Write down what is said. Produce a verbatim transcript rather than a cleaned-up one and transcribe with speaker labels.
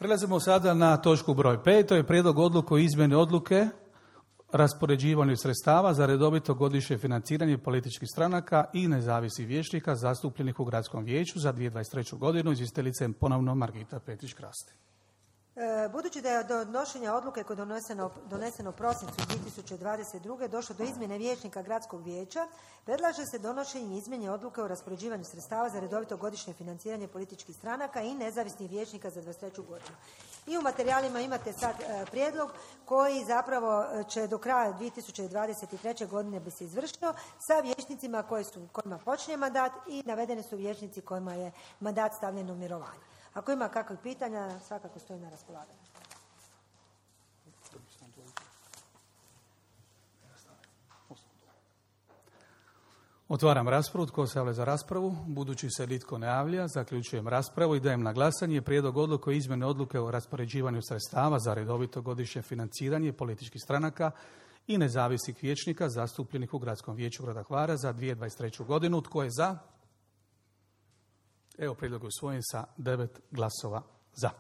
Speaker 1: Prelazimo sada na točku broj pet, to je prijedlog odluke o izmjeni odluke raspoređivanju sredstava za redovito godišnje financiranje političkih stranaka i nezavisnih vijećnika zastupljenih u Gradskom vijeću za dvije tisuće dvadeset treću godinu. Izvjestiteljica je ponovno Margita Petrić-Krasti.
Speaker 2: Budući da je do donošenja odluke koje je doneseno, doneseno u prosincu dvije tisuće dvadeset druge došlo do izmjene vijećnika Gradskog vijeća, predlaže se donošenje izmjene odluke o raspoređivanju sredstava za redovito godišnje financiranje političkih stranaka i nezavisnih vijećnika za dvadeset treću godinu. I u materijalima imate sad e, prijedlog koji zapravo će do kraja dvije tisuće dvadeset treće godine bi se izvršio sa vijećnicima koji su, kojima počinje mandat i navedeni su vijećnici kojima je mandat stavljen u mirovanje. Ako ima kakvih pitanja, svakako stoji na raspolaganju.
Speaker 1: Otvaram raspravu. Tko se javlja za raspravu? Budući se nitko ne javlja, zaključujem raspravu i dajem na glasanje prijedlog odluke o izmjeni odluke o raspoređivanju sredstava za redovito godišnje financiranje političkih stranaka i nezavisnih vijećnika zastupljenih u Gradskom vijeću grada Hvara za dvije tisuće dvadeset treću godinu. Tko je za? Evo, prijedlog je usvojen sa devet glasova za.